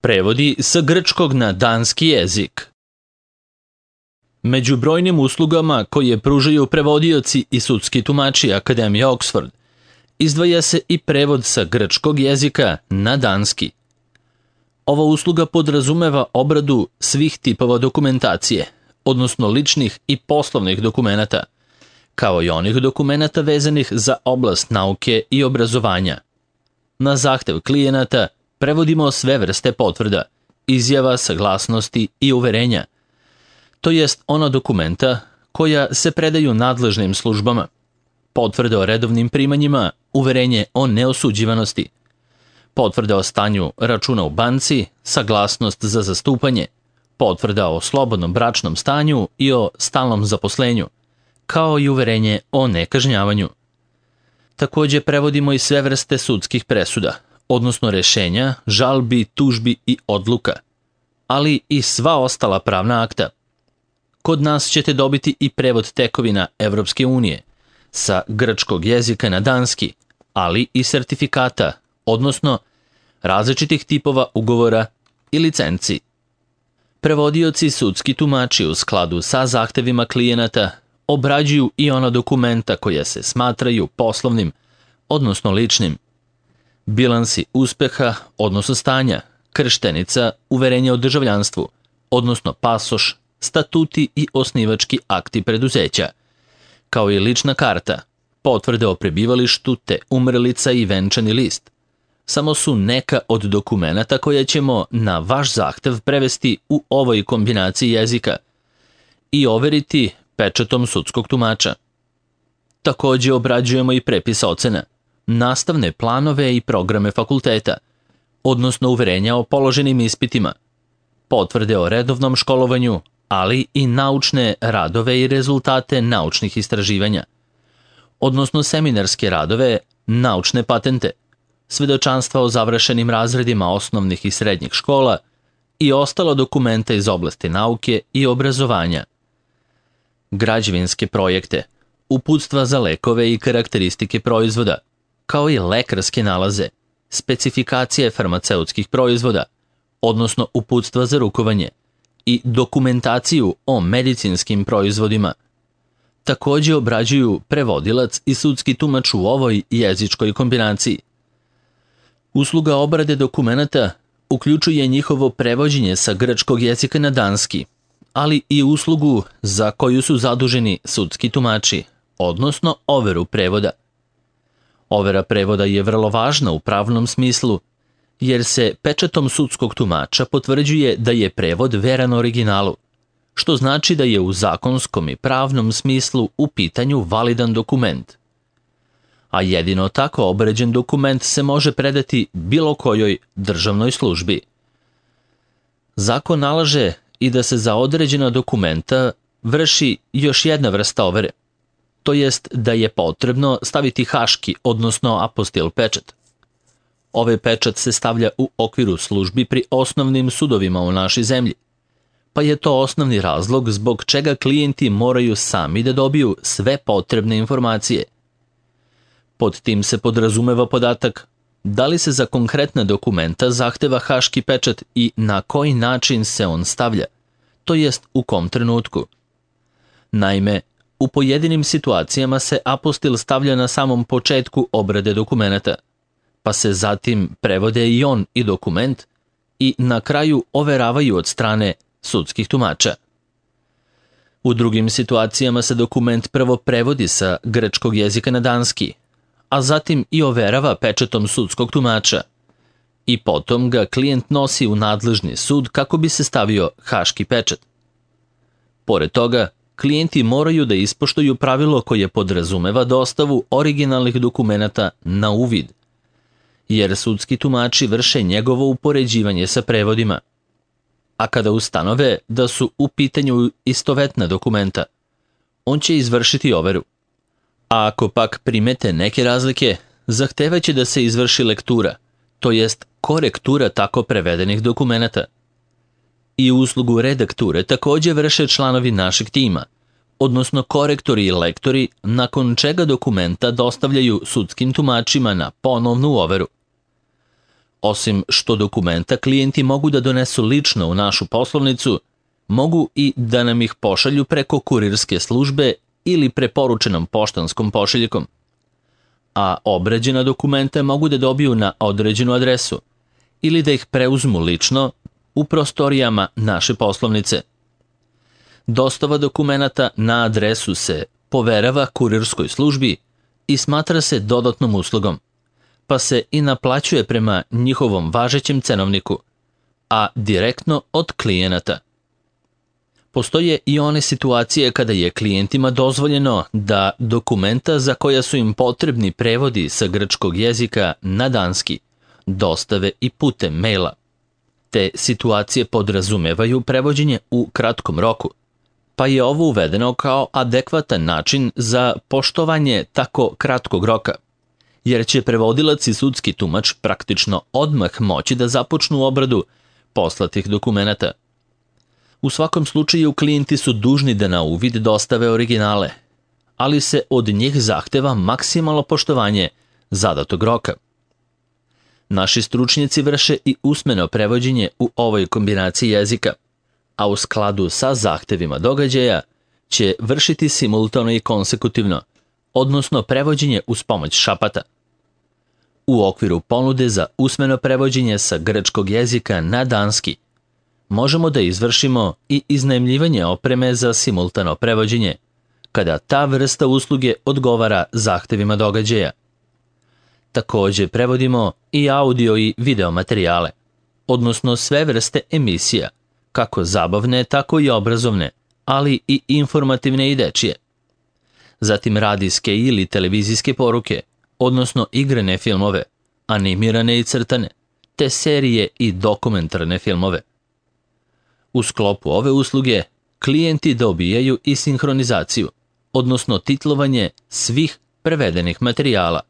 Prevodi sa grčkog na danski jezik. Među brojnim uslugama koje pružaju prevodioci i sudski tumači Akademije Oxford, izdvaja se i prevod sa grčkog jezika na danski. Ova usluga podrazumeva obradu svih tipova dokumentacije, odnosno ličnih i poslovnih dokumenata, kao i onih dokumenata vezanih za oblast nauke i obrazovanja. Na zahtev klijenata prevodimo sve vrste potvrda, izjava, saglasnosti i uverenja, to jest ona dokumenta koja se predaju nadležnim službama, potvrde o redovnim primanjima, uverenje o neosuđivanosti, potvrde o stanju računa u banci, saglasnost za zastupanje, potvrda o slobodnom bračnom stanju i o stalnom zaposlenju, kao i uverenje o nekažnjavanju. Takođe prevodimo i sve vrste sudskih presuda, odnosno rešenja, žalbi, tužbi i odluka, ali i sva ostala pravna akta. Kod nas ćete dobiti i prevod tekovina Evropske unije sa grčkog jezika na danski, ali i sertifikata, odnosno različitih tipova ugovora i licenci. Prevodioci i sudski tumači u skladu sa zahtevima klijenata obrađuju i ona dokumenta koja se smatraju poslovnim, odnosno ličnim. Bilansi uspeha, odnosno stanja, krštenica, uverenje o državljanstvu, odnosno pasoš, statuti i osnivački akti preduzeća, kao i lična karta, potvrde o prebivalištu te umrlica i venčani list. Samo su neka od dokumenata koje ćemo na vaš zahtev prevesti u ovoj kombinaciji jezika i overiti pečatom sudskog tumača. Takođe obrađujemo i prepis ocena, nastavne planove i programe fakulteta, odnosno uverenja o položenim ispitima, potvrde o redovnom školovanju, ali i naučne radove i rezultate naučnih istraživanja, odnosno seminarske radove, naučne patente, svedočanstva o završenim razredima osnovnih i srednjih škola i ostala dokumenta iz oblasti nauke i obrazovanja. Građevinske projekte, uputstva za lekove i karakteristike proizvoda, kao i lekarske nalaze, specifikacije farmaceutskih proizvoda, odnosno uputstva za rukovanje i dokumentaciju o medicinskim proizvodima. Takođe obrađuju prevodilac i sudski tumač u ovoj jezičkoj kombinaciji. Usluga obrade dokumenata uključuje njihovo prevođenje sa grčkog jezika na danski, ali i uslugu za koju su zaduženi sudski tumači, odnosno overu prevoda. Overa prevoda je vrlo važna u pravnom smislu, jer se pečatom sudskog tumača potvrđuje da je prevod veran originalu, što znači da je u zakonskom i pravnom smislu u pitanju validan dokument. A jedino tako obređen dokument se može predati bilo kojoj državnoj službi. Zakon nalaže i da se za određena dokumenta vrši još jedna vrsta overe, to jest da je potrebno staviti haški, odnosno apostil pečat. Ovaj pečat se stavlja u okviru službi pri osnovnim sudovima u našoj zemlji, pa je to osnovni razlog zbog čega klijenti moraju sami da dobiju sve potrebne informacije. Pod tim se podrazumeva podatak da li se za konkretna dokumenta zahteva haški pečat i na koji način se on stavlja, to jest u kom trenutku. Naime, u pojedinim situacijama se apostil stavlja na samom početku obrade dokumenata, pa se zatim prevode i on i dokument i na kraju overavaju od strane sudskih tumača. U drugim situacijama se dokument prvo prevodi sa grčkog jezika na danski, a zatim i overava pečatom sudskog tumača i potom ga klijent nosi u nadležni sud kako bi se stavio haški pečat. Pored toga, klijenti moraju da ispoštuju pravilo koje podrazumeva dostavu originalnih dokumenata na uvid, jer sudski tumači vrše njegovo upoređivanje sa prevodima. A kada ustanove da su u pitanju istovetna dokumenta, on će izvršiti overu. A ako pak primete neke razlike, zahtevaće da se izvrši lektura, to jest korektura tako prevedenih dokumenata. I uslugu redakture takođe vrše članovi našeg tima, odnosno korektori i lektori, nakon čega dokumenta dostavljaju sudskim tumačima na ponovnu overu. Osim što dokumenta klijenti mogu da donesu lično u našu poslovnicu, mogu i da nam ih pošalju preko kurirske službe ili preporučenom poštanskom pošiljkom. A obrađena dokumenta mogu da dobiju na određenu adresu ili da ih preuzmu lično u prostorijama naše poslovnice. Dostava dokumenata na adresu se poverava kurirskoj službi i smatra se dodatnom uslugom, pa se i naplaćuje prema njihovom važećem cenovniku, a direktno od klijenata. Postoje i one situacije kada je klijentima dozvoljeno da dokumenta za koja su im potrebni prevodi sa grčkog jezika na danski dostave i putem maila. Te situacije podrazumevaju prevođenje u kratkom roku, pa je ovo uvedeno kao adekvatan način za poštovanje tako kratkog roka, jer će prevodilac i sudski tumač praktično odmah moći da započnu obradu poslatih dokumenata. U svakom slučaju klijenti su dužni da na uvid dostave originale, ali se od njih zahteva maksimalno poštovanje zadatog roka. Naši stručnjaci vrše i usmeno prevođenje u ovoj kombinaciji jezika, a u skladu sa zahtevima događaja će vršiti simultano i konsekutivno, odnosno prevođenje uz pomoć šapata. U okviru ponude za usmeno prevođenje sa grčkog jezika na danski možemo da izvršimo i iznajmljivanje opreme za simultano prevođenje, kada ta vrsta usluge odgovara zahtevima događaja. Takođe prevodimo i audio i video materijale, odnosno sve vrste emisija, kako zabavne, tako i obrazovne, ali i informativne i dečije. Zatim radijske ili televizijske poruke, odnosno igrane filmove, animirane i crtane, te serije i dokumentarne filmove. U sklopu ove usluge klijenti dobijaju i sinhronizaciju, odnosno titlovanje svih prevedenih materijala.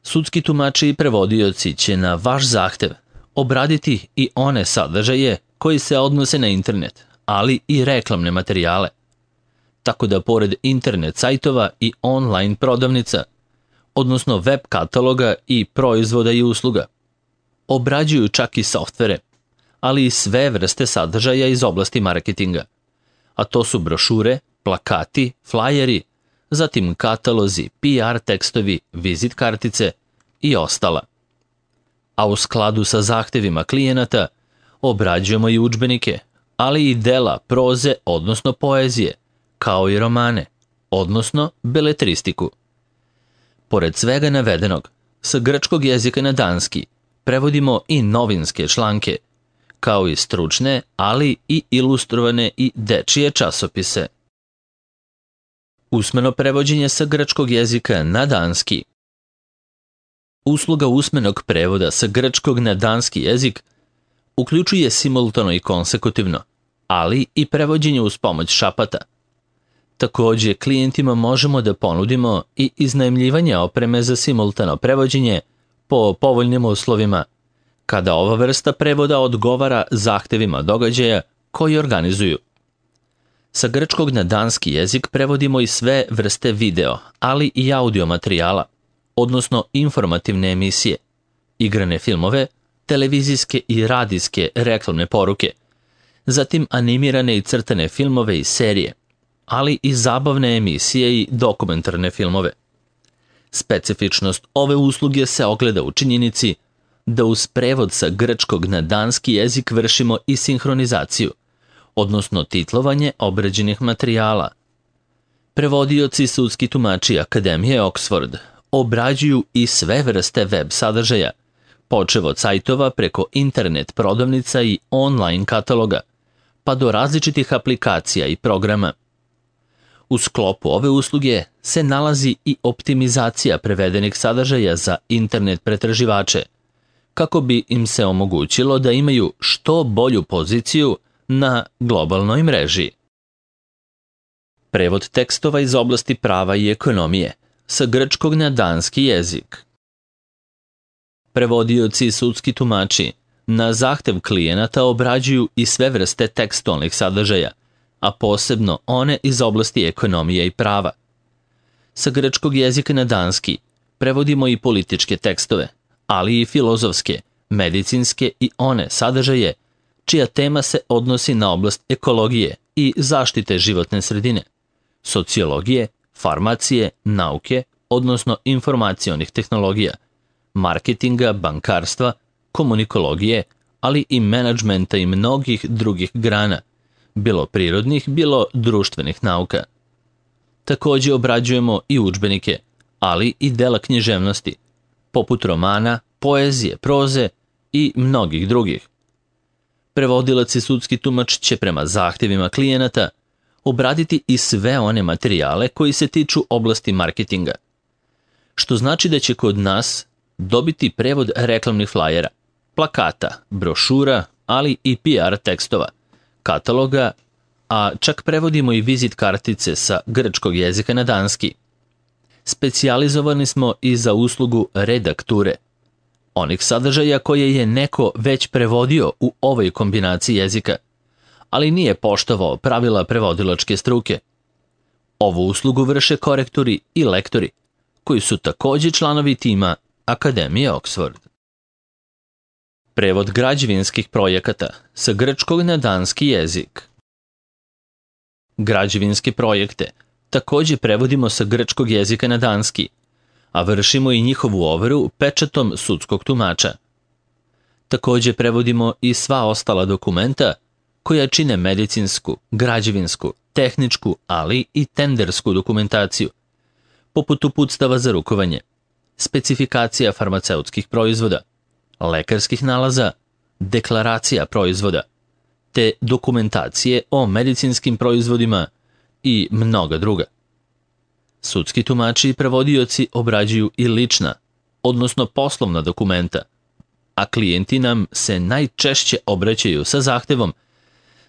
Sudski tumači i prevodioci će na vaš zahtev obraditi i one sadržaje koji se odnose na internet, ali i reklamne materijale. Tako da pored internet sajtova i online prodavnica, odnosno web kataloga i proizvoda i usluga, obrađuju čak i softvere, ali i sve vrste sadržaja iz oblasti marketinga, a to su brošure, plakati, flajeri, zatim katalozi, PR tekstovi, vizit kartice i ostala. A u skladu sa zahtevima klijenata obrađujemo i udžbenike, ali i dela proze, odnosno poezije, kao i romane, odnosno beletristiku. Pored svega navedenog, sa grčkog jezika na danski prevodimo i novinske članke, kao i stručne, ali i ilustrovane i dečije časopise. Usmeno prevođenje sa grčkog jezika na danski. Usluga usmenog prevoda sa grčkog na danski jezik uključuje simultano i konsekutivno, ali i prevođenje uz pomoć šapata. Takođe, klijentima možemo da ponudimo i iznajmljivanje opreme za simultano prevođenje po povoljnim uslovima, kada ova vrsta prevoda odgovara zahtevima događaja koji organizuju. Sa grčkog na danski jezik prevodimo i sve vrste video, ali i audio materijala, odnosno informativne emisije, igrane filmove, televizijske i radijske reklamne poruke, zatim animirane i crtane filmove i serije, ali i zabavne emisije i dokumentarne filmove. Specifičnost ove usluge se ogleda u činjenici da uz prevod sa grčkog na danski jezik vršimo i sinhronizaciju, odnosno titlovanje obrađenih materijala. Prevodioci i sudski tumači Akademije Oxford obrađuju i sve vrste web sadržaja, počev od sajtova preko internet prodavnica i online kataloga, pa do različitih aplikacija i programa. U sklopu ove usluge se nalazi i optimizacija prevedenih sadržaja za internet pretraživače, kako bi im se omogućilo da imaju što bolju poziciju na globalnoj mreži. Prevod tekstova iz oblasti prava i ekonomije sa grčkog na danski jezik. Prevodioci i sudski tumači na zahtev klijenata obrađuju i sve vrste tekstualnih sadržaja, a posebno one iz oblasti ekonomije i prava. Sa grčkog jezika na danski prevodimo i političke tekstove, ali i filozofske, medicinske i one sadržaje čija tema se odnosi na oblast ekologije i zaštite životne sredine, sociologije, farmacije, nauke, odnosno informacionih tehnologija, marketinga, bankarstva, komunikologije, ali i menadžmenta i mnogih drugih grana, bilo prirodnih, bilo društvenih nauka. Takođe obrađujemo i udžbenike, ali i dela književnosti, poput romana, poezije, proze i mnogih drugih. Prevodilac i sudski tumač će prema zahtevima klijenata obraditi i sve one materijale koji se tiču oblasti marketinga, što znači da će kod nas dobiti prevod reklamnih flajera, plakata, brošura, ali i PR tekstova, kataloga, a čak prevodimo i vizit kartice sa grčkog jezika na danski. Specijalizovani smo i za uslugu redakture, onih sadržaja koje je neko već prevodio u ovoj kombinaciji jezika, ali nije poštovao pravila prevodilačke struke. Ovu uslugu vrše korektori i lektori, koji su takođe članovi tima Akademije Oxford. Prevod građevinskih projekata sa grčkog na danski jezik. Građevinske projekte takođe prevodimo sa grčkog jezika na danski, a vršimo i njihovu overu pečatom sudskog tumača. Takođe prevodimo i sva ostala dokumenta koja čine medicinsku, građevinsku, tehničku, ali i tendersku dokumentaciju, poput uputstava za rukovanje, specifikacija farmaceutskih proizvoda, lekarskih nalaza, deklaracija proizvoda, te dokumentacije o medicinskim proizvodima i mnoga druga. Sudski tumači i prevodioci obrađuju i lična, odnosno poslovna dokumenta, a klijenti nam se najčešće obraćaju sa zahtevom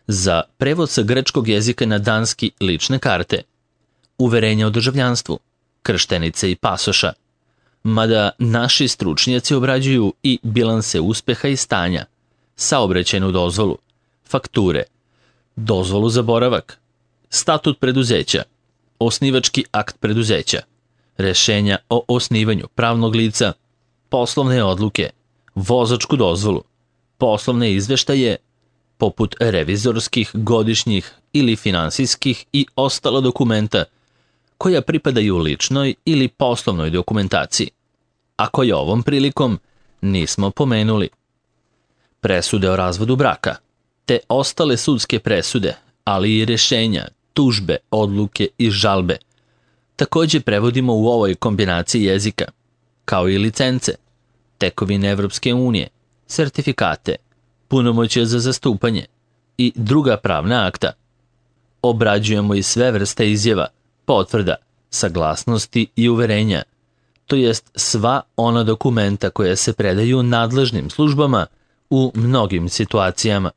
za prevod sa grčkog jezika na danski lične karte, uverenja o državljanstvu, krštenice i pasoša, mada naši stručnjaci obrađuju i bilanse uspeha i stanja, saobraćajnu dozvolu, fakture, dozvolu za boravak, statut preduzeća, osnivački akt preduzeća, rešenja o osnivanju pravnog lica, poslovne odluke, vozačku dozvolu, poslovne izveštaje, poput revizorskih, godišnjih ili finansijskih i ostala dokumenta koja pripadaju ličnoj ili poslovnoj dokumentaciji, a koje ovom prilikom nismo pomenuli. Presude o razvodu braka, te ostale sudske presude, ali i rešenja, tužbe, odluke i žalbe, takođe prevodimo u ovoj kombinaciji jezika, kao i licence, tekovine Evropske unije, sertifikate, punomoćje za zastupanje i druga pravna akta. Obrađujemo i sve vrste izjava, potvrda, saglasnosti i uverenja, to jest sva ona dokumenta koja se predaju nadležnim službama u mnogim situacijama.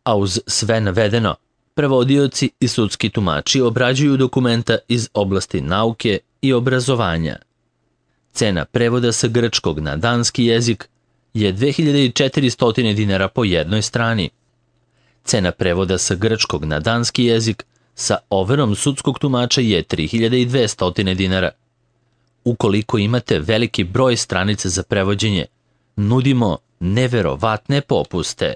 A uz sve navedeno, prevodioci i sudski tumači obrađuju dokumenta iz oblasti nauke i obrazovanja. Cena prevoda sa grčkog na danski jezik je 2400 dinara po jednoj strani. Cena prevoda sa grčkog na danski jezik sa overom sudskog tumača je 3200 dinara. Ukoliko imate veliki broj stranica za prevođenje, nudimo neverovatne popuste.